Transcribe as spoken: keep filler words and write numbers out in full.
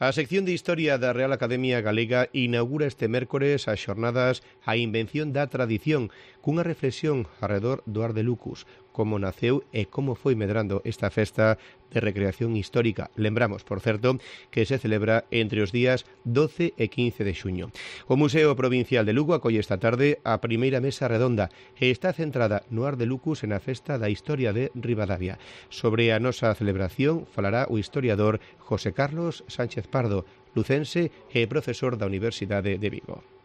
A sección de Historia da Real Academia Galega inaugura este mércores as xornadas A Invención da Tradición, cunha reflexión arredor do Ar de Lucus, como naceu e como foi medrando esta festa de recreación histórica. Lembramos, por certo, que se celebra entre os días doce e quince de xuño. O Museo Provincial de Lugo acolle esta tarde a primeira mesa redonda e está centrada no Ar de Lucus e na festa da historia de Ribadavia. Sobre a nosa celebración falará o historiador José Carlos Sánchez Pardo, lucense e profesor da Universidade de Vigo.